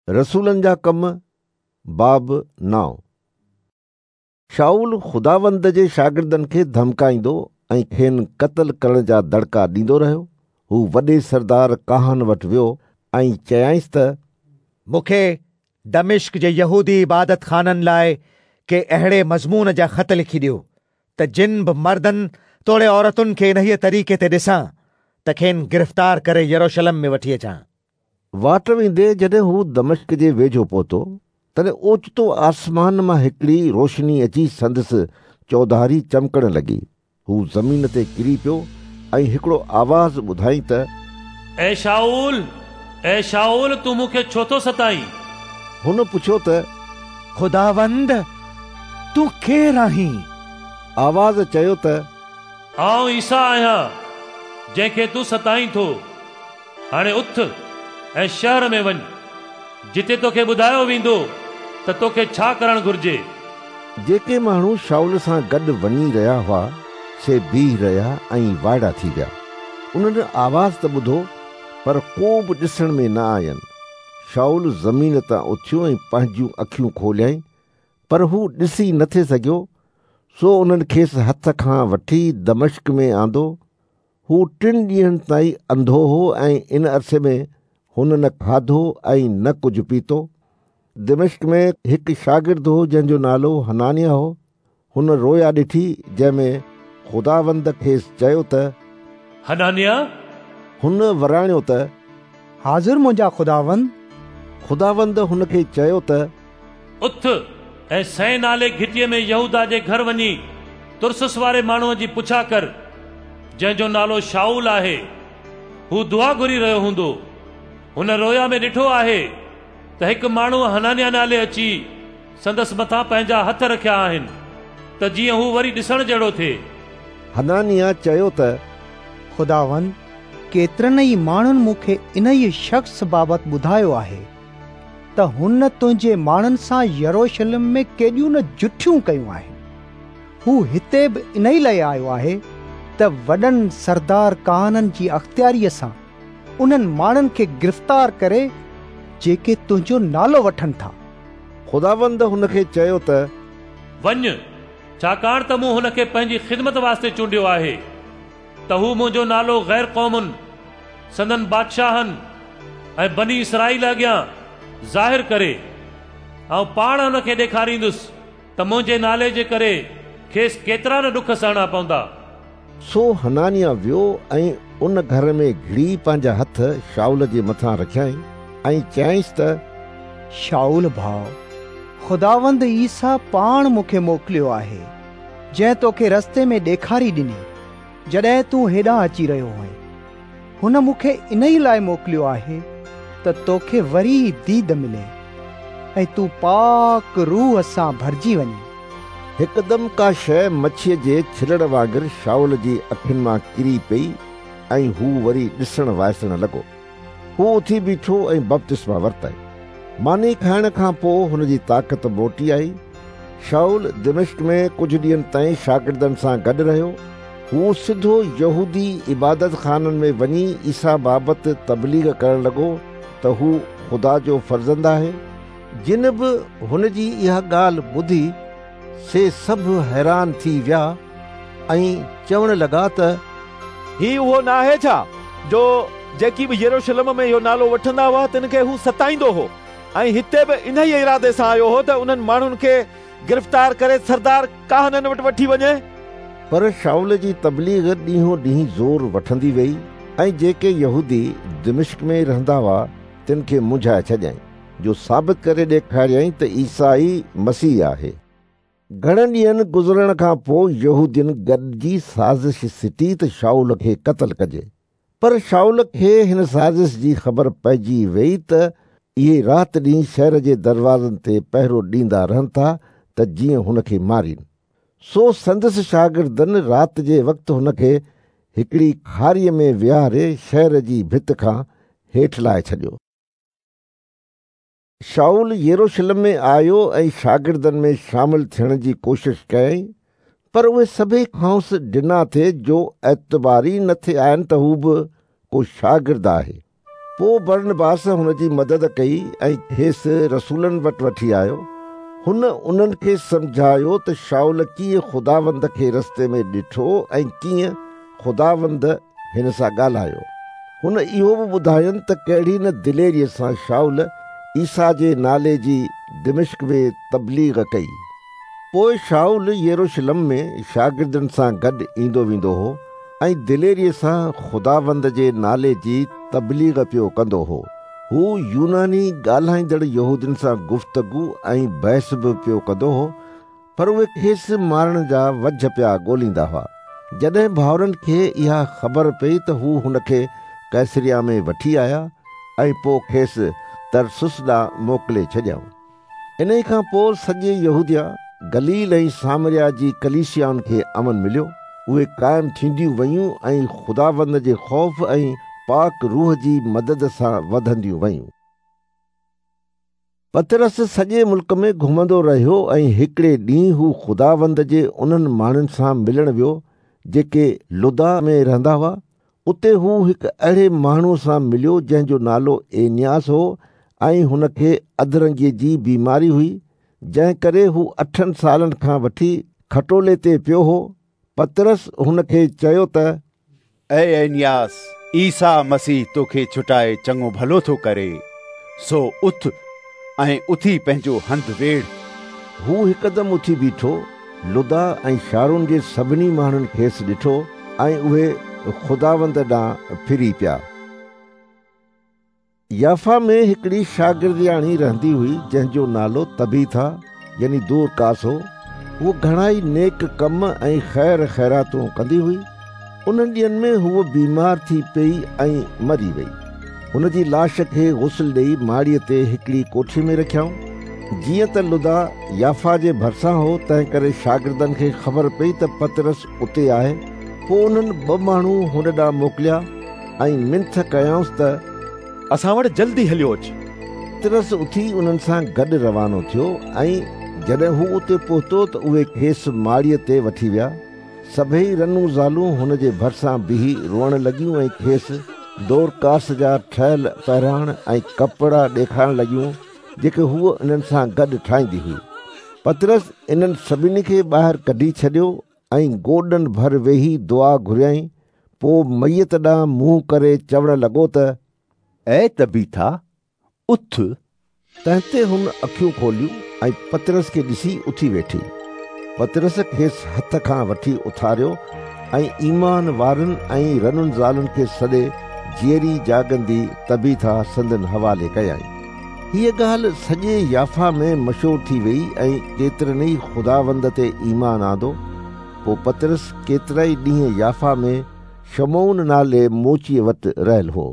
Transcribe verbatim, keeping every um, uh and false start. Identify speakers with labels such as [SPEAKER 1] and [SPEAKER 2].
[SPEAKER 1] रसूलनि जा कम बाब नौ। शाऊल ख़ुदावंद जे शागिर्दनि खे धमकाईंदो ऐं खेनि क़तल करण जा दड़का ॾींदो रहियो। हू वॾे सरदार काहन वटि वियो ऐं चयाईंसि त
[SPEAKER 2] मूंखे दमिश्क जे यहूदी इबादत खाननि लाइ के अहिड़े मज़मून जा ख़त लिखी ॾियो त जिन बि मर्दनि तोड़े औरतुनि खे इन्हीअ तरीक़े ते ॾिसां त खेनि गिरफ़्तार करे यरूशलेम में वठी अचां।
[SPEAKER 1] वाट वेंदे जॾहिं हू दमिश्क जे वेझो पहुतो तॾहिं ओचितो आसमान मां हिकिड़ी रोशनी अची संदसि चौधारी चमकण लॻी। हू ज़मीन ते किरी पियो ऐं हिकिड़ो आवाज़ ॿुधाई त
[SPEAKER 3] ए शाऊल, ए शाऊल, तूं मूंखे छो थो सताईं?
[SPEAKER 1] हुन पुछियो त
[SPEAKER 2] ख़ुदावंद, तूं केरु आहीं?
[SPEAKER 1] आवाज़ चयो त
[SPEAKER 3] आउं ईसा आहियां जंहिंखे तूं सताईं थो। हाणे उथ ऐं शहर में वञ, जिते तोखे ॿुधायो वेंदो त तोखे छा करणु घुरिजे।
[SPEAKER 1] जेके माण्हू शाऊल सां गॾु वञी रहिया हुआ से बीह रहिया ऐं वाइड़ा थी विया। उन्हनि आवाज़ त ॿुधो पर को बि ॾिसण में न आयनि। शाऊल ज़मीन तां उथियो ऐं पंहिंजूं अखियूं खोलियाईं, पर हू ॾिसी नथे सघियो। सो उन्हनि खेसि हथ खां वठी दमिश्क में आंदो। हू टिनि ॾींहंनि ताईं अंधो हो ऐं इन अरसे में हुन न खाधो ऐं न कुझु पीतो। दमिश्क में हिकु शागिर्द हो जंहिंजो नालो हनानिया हो। हुन रोया ॾिठी जंहिंमें ख़ुदावंद खेसि चयो त
[SPEAKER 3] हनानिया।
[SPEAKER 1] हुन वराणियो त
[SPEAKER 4] हाज़िर मुंहिंजा ख़ुदावंद।
[SPEAKER 1] ख़ुदावंद हुनखे चयो त
[SPEAKER 3] उथ ऐं सै नाले घिटीअ में यहूदा जे घर वञी तुरसुस वारे माण्हूअ जी पुछा कर जंहिंजो नालो शाऊल आहे। हू दुआ घुरी रहियो हूंदो। हुन रोया में ॾिठो आहे त हिकु माण्हू हनानिया नाले अची संदसि मथां पंहिंजा हथ रखिया आहिनि त जीअं हू वरी ॾिसण जहिड़ो थिए।
[SPEAKER 1] हनानिया चयो त
[SPEAKER 4] ख़ुदावंद, केतिरनि ई माण्हुनि मूंखे इन ई शख़्स बाबति ॿुधायो आहे त हुन तुंहिंजे माण्हुनि सां यरूशलेम में केॾियूं न जुठियूं कयूं आहिनि। हू हिते बि इन ई लाइ आयो आहे त वॾनि सरदार काहननि जी अख़्तियारीअ सां उन्हनि माण्हुनि खे गिरफ़्तार करे जेके तुंहिंजो नालो वठनि था।
[SPEAKER 1] ख़ुदावंद हुनखे चयो त
[SPEAKER 3] वञ, छाकाणि त मूं हुनखे पंहिंजी ख़िदमत वास्ते चूंडियो आहे त हू मुंहिंजो नालो ग़ैर क़ौमुनि, संदन बादशाहनि ऐं बनी इसराईल अॻियां ज़ाहिर करे। ऐं पाण हुनखे ॾेखारींदुसि त मुंहिंजे नाले जे करे खेसि केतिरा न ॾुख सहणा पवंदा।
[SPEAKER 1] सो हनानिया वियो ऐं उन घर में घिड़ी पंहिंजा हथ शाऊल जे मथां रखियाईं ऐं चयाईंसि त
[SPEAKER 4] शाऊल भाउ, ख़ुदावंद ईसा पाण मूंखे मोकिलियो आहे जंहिं तोखे रस्ते में ॾेखारी ॾिनी जॾहिं तूं हेॾां अची रहियो हुएं। हुन मूंखे इन ई लाइ मोकिलियो आहे त तोखे वरी दीद मिले ऐं तूं पाक रूह सां भरिजी वञे।
[SPEAKER 1] हिकदमि का शइ मच्छीअ जे छिलण वांगुरु शाऊल जी अखियुनि मां किरी पई ऐं हू वरी ॾिसण वाइसण लॻो। हू उथी बीठो ऐं बपतिस्मा वरिताईं। मानी खाइण खां पोइ हुन जी ताक़त मोटी आई। शाऊल दमिश्क में कुझु ॾींहंनि ताईं शागिर्दनि सां गॾु रहियो। हू सिधो यहूदी इबादत खाननि में वञी ईसा बाबति तबलीग करण लॻो त हू ख़ुदा जो फर्ज़ंद आहे। जिन बि हुन जी इहा ॻाल्हि ॿुधी से सभु हैरान थी विया ऐं चवण लॻा त
[SPEAKER 5] ही उहो न आहे छा जो जेकी बि यरूशलेम में इहो नालो वठंदा हुआ तिन खे हू सताईंदो हो ऐं हिते बि इन ई इरादे सां आयो हो त उन्हनि माण्हुनि खे गिरफ़्तार करे सरदार काहननि वटि वठी वञे?
[SPEAKER 1] पर शाऊल जी तबलीग ॾींहों ॾींहुं ज़ोर वठंदी वई ऐं जेके यहूदी दमिश्क में रहंदा हुआ तिन खे मुंझाए छॾियाईं, जो साबित करे ॾेखारियाईं त ईसा ई मसीह आहे। घणनि ॾींहंनि गुज़रण खां पोइ यहूदियुनि गॾिजी साज़िश सिटी त शाऊल खे क़तल कजे। पर शाऊल खे हिन साज़िश जी ख़बर पइजी वई त इहे राति ॾींहुं शहर जे दरवाज़नि ते पहरो ॾींदा रहनि था त जीअं हुनखे मारीनि। सो संदसि शागिर्दनि राति जे वक़्तु हुनखे हिकिड़ी खारीअ में विहारे शहर जी भित खां हेठि लाहे छॾियो। शाऊल यरूशलेम में आयो ऐं शागिर्दनि में शामिल थियण जी कोशिश कयाईं, पर उहे सभई खांसि डिना थे जो एतबारी न थे आयनि त हू बि को शागिर्द आहे। पोइ बरनबास हुन जी मदद कई ऐं खेसि रसूलनि वटि वठी आयो। हुन उन्हनि खे सम्झायो त शाऊल कीअं ख़ुदावंद खे रस्ते में ॾिठो ऐं कीअं ख़ुदावंद हिन सां ॻाल्हायो। हुन इहो बि ॿुधायुनि त कहिड़ी न दिलेरीअ सां शाऊल ईसा जे नाले जी दिमिश्क में तबलीग कई। पोइ शाऊल यरूशलेम में शागिर्दनि सां गॾु ईंदो वेंदो हो ऐं दिलेरीअ सां ख़ुदावंद जे नाले जी तबलीग पियो कंदो हो। हू यूनानी ॻाल्हाईंदड़ यहूदियुनि सां गुफ्तगू ऐं बहस बि पियो कंदो हो, पर उहे खेसि मारण जा वजह पिया ॻोल्हींदा हुआ। जॾहिं भाउरनि खे इहा ख़बर पई त हू हुनखे कैसरिया में वठी आया ऐं पोइ खेसि तरसुस ॾांहुं मोकिले छॾियऊं। इन खां पोइ सॼे यहूदिया, गलील ऐं सामरिया जी कलीसियाउनि खे अमन मिलियो। उहे क़ाइमु थींदियूं वयूं ऐं ख़ुदावंद जे ख़ौफ़ ऐं पाक रूह जी मदद सां वधंदियूं वयूं। पतरस सॼे मुल्क में घुमंदो रहियो ऐं हिकिड़े ॾींहुं हू ख़ुदावंद जे उन्हनि माण्हुनि सां मिलण वियो जेके लुदा में रहंदा हुआ। उते हू हिकु अहिड़े माण्हूअ सां मिलियो जंहिंजो नालो एनियास हो ऐं हुनखे अधरंगीअ जी बीमारी हुई, जंहिं करे हू अठनि सालनि खां वठी खटोले ते पियो हो। पतरस हुनखे चयो त
[SPEAKER 6] ऐ एनियास, ईसा मसीह तोखे छुटाए चङो भलो थो करे, सो उथ ऐं उथी पंहिंजो हंधु वेड़।
[SPEAKER 1] हू हिकदमि उथी बीठो। लुदा ऐं शारून जे सभिनी माण्हुनि खेसि ॾिठो ऐं उहे ख़ुदावंद ॾांहुं फिरी पिया। याफ़ा में हिकिड़ी शागिर्दियाणी रहंदी हुई जंहिंजो नालो तबीथा यानी दोरकास हो। हूअ घणा ई नेक कम ऐं ख़ैर ख़ैरातूं कंदी हुई। उन्हनि ॾींहंनि में हूअ बीमार थी पई ऐं मरी वई। हुनजी लाश खे गुस्ल ॾेई माड़ीअ ते हिकिड़ी कोठी में रखियऊं। जीअं त लुदा याफ़ा जे भरिसां हो, तंहिं करे शागिर्दनि खे ख़बर पई त पतरस उते आहे। पोइ उन्हनि ॿ माण्हू हुन ॾांहुं मोकिलिया ऐं मिंथ कयाउंसि त
[SPEAKER 5] असां वटि जल्दी हलियो अच।
[SPEAKER 1] पतरस उथी उन्हनि सां गॾु रवानो थियो ऐं जॾहिं हू उते पहुतो त उहे खेसि माड़ीअ ते वठी विया। सभई रनूं ज़ालूं हुन जे भरिसां बीही रोअण लॻियूं ऐं खेसि दोरकास जा ठहियल पहिराण ऐं कपिड़ा ॾेखारणु लॻियूं जेके हूअ इन्हनि सां गॾु ठाहींदी हुई। पतरस इन्हनि सभिनी खे ॿाहिरि कढी छॾियो ऐं गोॾनि भर वेही दुआ घुरियाईं। पोइ मैत ॾांहुं मुंहुं करे चवण लॻो त
[SPEAKER 6] ऐ तबीथा, उथ।
[SPEAKER 1] तंहिं ते हुन अखियूं खोलियूं ऐं पतरस खे ॾिसी उथी वेठी। पतरस खेसि हथ खां वठी उथारियो ऐं ईमान वारनि ऐं रनुनि ज़ालुनि खे सॾे जीअरी जाॻंदी तबीथा संदन हवाले कयाईं। हीअ ॻाल्हि सॼे याफ़ा में मशहूर थी वई ऐं केतिरनि ई ख़ुदावंद ते ईमान आंदो। पोइ पतरस केतिरा ई ॾींहं याफ़ा में शमौन नाले मोचीअ वटि रहियल हो।